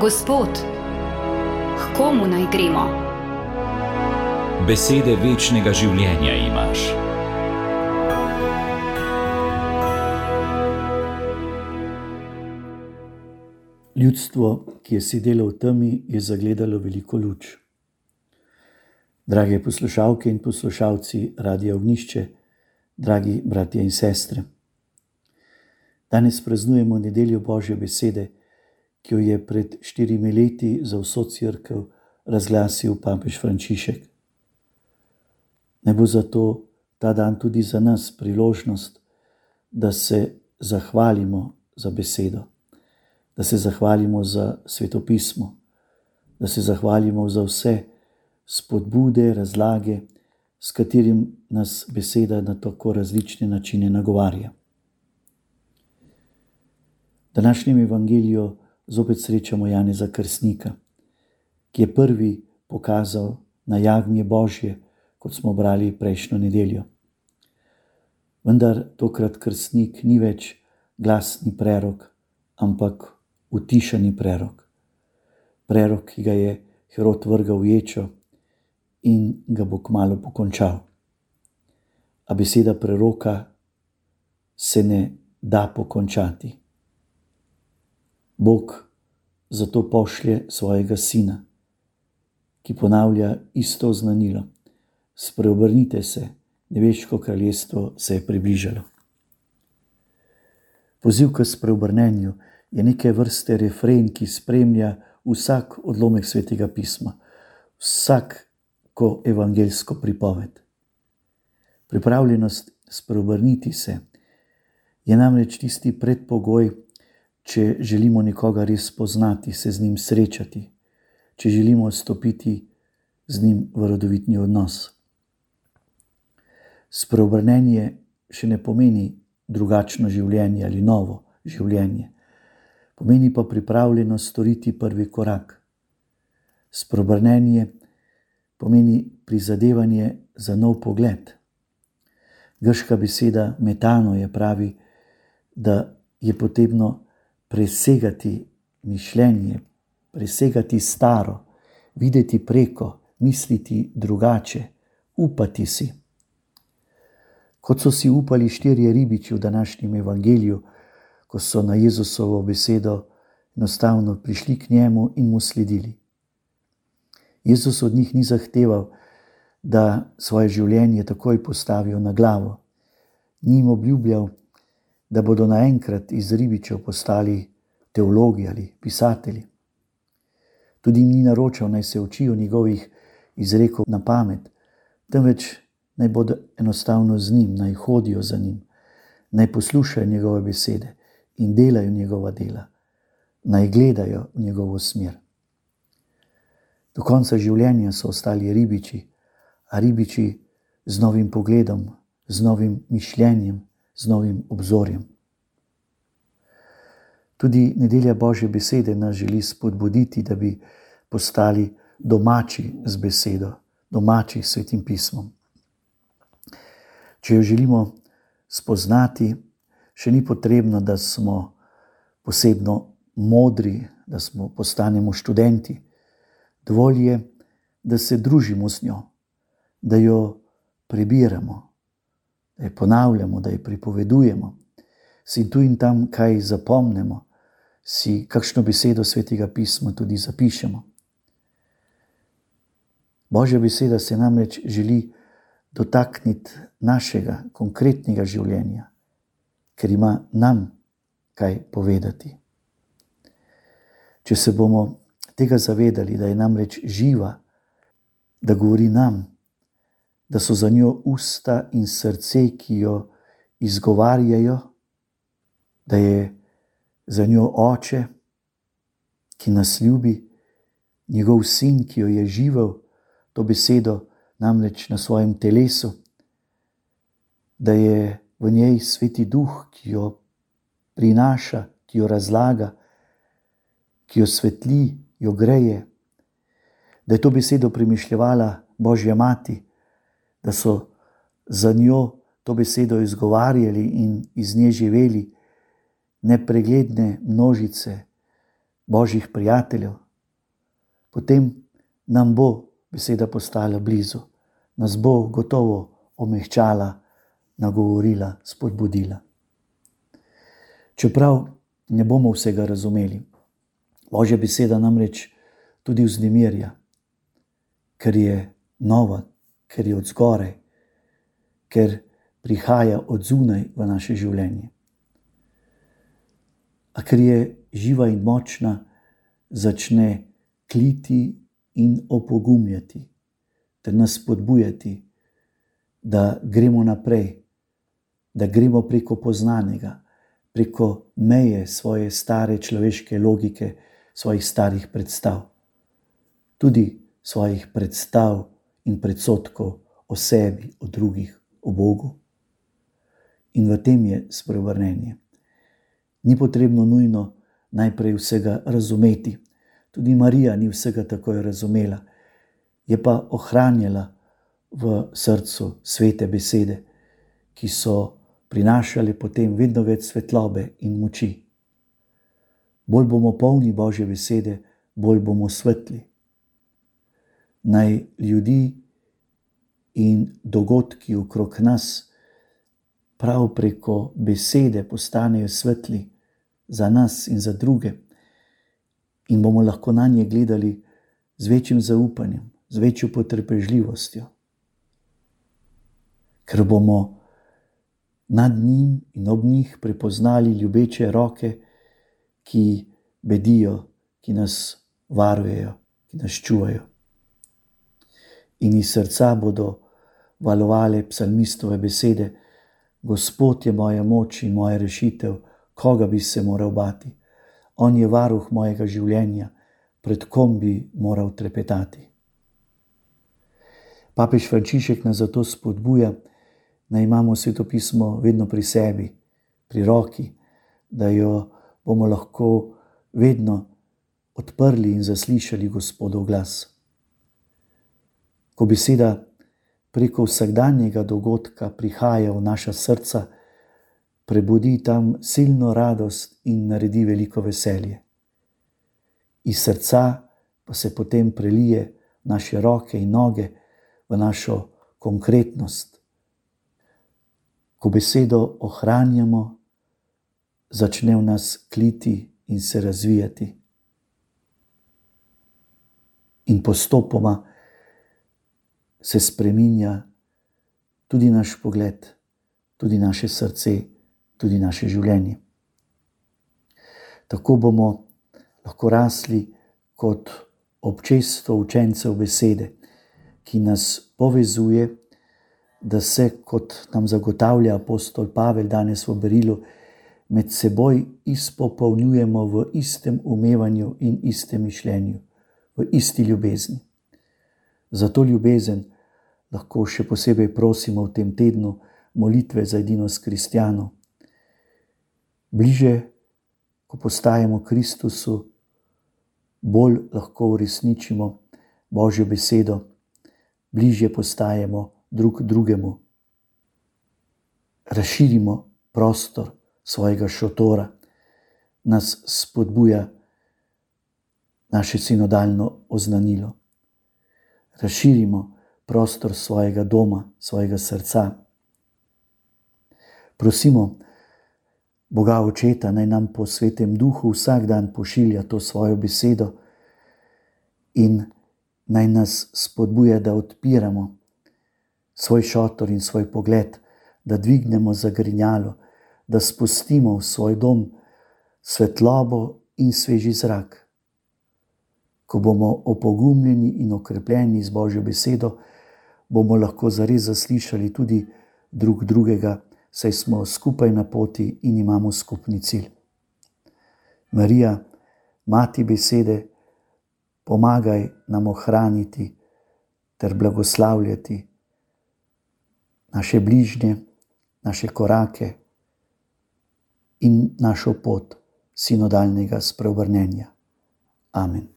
Gospod, k komu naj gremo? Besede večnega življenja imaš. Ljudstvo, ki je sedelo v temi, je zagledalo veliko luč. Drage poslušalke in poslušalci Radia Ognjišče, dragi bratje in sestre. Danes praznujemo nedeljo Božje besede, ki jo je pred 4 leti za vso cerkev razglasil papež Frančišek. Naj bo zato ta dan tudi za nas priložnost, da se zahvalimo za besedo, da se zahvalimo za svetopismo, da se zahvalimo za vse spodbude, razlage, s katerim nas beseda na tako različne načine nagovarja. V današnjem evangeliju zopet srečamo Janeza Krstnika, ki je prvi pokazal na jagnje Božje, kot smo brali prejšnjo nedeljo. Vendar tokrat krstnik ni več glasni prerok, ampak utišani prerok. Prerok, ki ga je Herod vrgal v ječo in ga bo kmalu pokončal. A beseda preroka se ne da pokončati. Bog zato pošlje svojega sina, ki ponavlja isto znanilo: spreobrnite se, nebeško kraljestvo se je približalo. Poziv k spreobrnenju je neke vrste refren, ki spremlja vsak odlomek Svetega pisma, vsako evangeljsko pripoved. Pripravljenost spreobrniti se je namreč tisti predpogoj, če želimo nekoga res poznati, se z njim srečati, če želimo stopiti z njim v rodovitni odnos. Spreobrnenje še ne pomeni drugačno življenje ali novo življenje, pomeni pa pripravljenost storiti prvi korak. Spreobrnenje pomeni prizadevanje za nov pogled. Grška beseda metano je pravi, da je potrebno presegati mišljenje, presegati staro, videti preko, misliti drugače, upati si. Kot so si upali 4 ribiči v današnjem evangeliju, ko so na Jezusovo besedo enostavno prišli k njemu in mu sledili. Jezus od njih ni zahteval, da svoje življenje takoj postavijo na glavo. Ni jim obljubljal, da bodo naenkrat iz ribičev postali teologi ali pisatelji. Tudi jim ni naročal, naj se učijo njegovih izrekov na pamet, temveč naj bodo enostavno z njim, naj hodijo za njim, naj poslušajo njegove besede in delajo njegova dela, naj gledajo v njegovo smer. Do konca življenja so ostali ribiči, a ribiči z novim pogledom, z novim mišljenjem, z novim obzorjem. Tudi nedelja Božje besede nas želi spodbuditi, da bi postali domači z besedo, domači s Svetim pismom. Če jo želimo spoznati, še ni potrebno, da smo posebno modri, da postanemo študenti. Dovolj je, da se družimo z njo, da jo prebiramo, da jo ponavljamo, da jo pripovedujemo, si tu in tam kaj zapomnimo, si kakšno besedo Svetega pisma tudi zapišemo. Božja beseda se namreč želi dotakniti našega konkretnega življenja, ker ima nam kaj povedati. Če se bomo tega zavedali, da je namreč živa, da govori nam, da so za njo usta in srce, ki jo izgovarjajo, da je za njo Oče, ki nas ljubi, njegov sin, ki jo je živel, to besedo namreč na svojem telesu, da je v njej Sveti Duh, ki jo prinaša, ki jo razlaga, ki jo svetli, jo greje, da je to besedo premišljevala Božja Mati, da so za njo to besedo izgovarjali in iz nje živeli nepregledne množice Božjih prijateljev, potem nam bo beseda postala blizu, nas bo gotovo omehčala, nagovorila, spodbudila. Čeprav ne bomo vsega razumeli, Božja beseda namreč tudi vznemirja, ker je nova, ker je od zgoraj, ker prihaja od zunaj v naše življenje. A ker je živa in močna, začne kliti in opogumljati, ter nas spodbujati, da gremo naprej, da gremo preko poznanega, preko meje svoje stare človeške logike, svojih starih predstav, tudi svojih predstav in predsodkov o sebi, o drugih, o Bogu. In v tem je spreobrnenje. Ni potrebno nujno najprej vsega razumeti. Tudi Marija ni vsega takoj razumela, je pa ohranjala v srcu svete besede, ki so prinašale potem vedno več svetlobe in moči. Bolj bomo polni Božje besede, bolj bomo svetli. Naj ljudi in dogodki okrog nas prav preko besede postanejo svetli za nas in za druge, in bomo lahko na nje gledali z večjim zaupanjem, z večjo potrpežljivostjo, ker bomo nad njim in ob njih prepoznali ljubeče roke, ki bedijo, ki nas varujejo, ki nas čuvajo. In iz srca bodo valovale psalmistove besede: Gospod je moja moč in moja rešitev, koga bi se moral bati? On je varuh mojega življenja, pred kom bi moral trepetati. Papež Frančišek nas zato spodbuja, da imamo svetopismo vedno pri sebi, pri roki, da jo bomo lahko vedno odprli in zaslišali Gospodov glas. Ko beseda preko vsakdanjega dogodka prihaja v naša srca, prebudi tam silno radost in naredi veliko veselje. Iz srca pa se potem prelije v naše roke in noge, v našo konkretnost. Ko besedo ohranjamo, začne v nas kliti in se razvijati. In postopoma se spreminja tudi naš pogled, tudi naše srce, tudi naše življenje. Tako bomo lahko rasli kot občestvo učencev besede, ki nas povezuje, da se, kot nam zagotavlja apostol Pavel danes v berilu, med seboj izpopolnjujemo v istem umevanju in istem mišljenju, v isti ljubezni. Zato ljubezen lahko še posebej prosimo v tem tednu molitve za edinost kristjanov. Bliže, ko postajamo Kristusu, bolj lahko uresničimo Božjo besedo, bližje postajamo drug drugemu. Razširimo prostor svojega šotora, nas spodbuja naše sinodalno oznanilo. Razširimo prostor svojega doma, svojega srca. Prosimo Boga Očeta, naj nam po Svetem Duhu vsak dan pošilja to svojo besedo in naj nas spodbuja, da odpiramo svoj šotor in svoj pogled, da dvignemo zagrinjalo, da spustimo v svoj dom svetlobo in sveži zrak. Ko bomo opogumljeni in okrepljeni z Božjo besedo, bomo lahko zares zaslišali tudi drug drugega, saj smo skupaj na poti in imamo skupni cilj. Marija, mati besede, pomagaj nam ohraniti ter blagoslavljati naše bližnje, naše korake in našo pot sinodalnega spreobrnenja. Amen.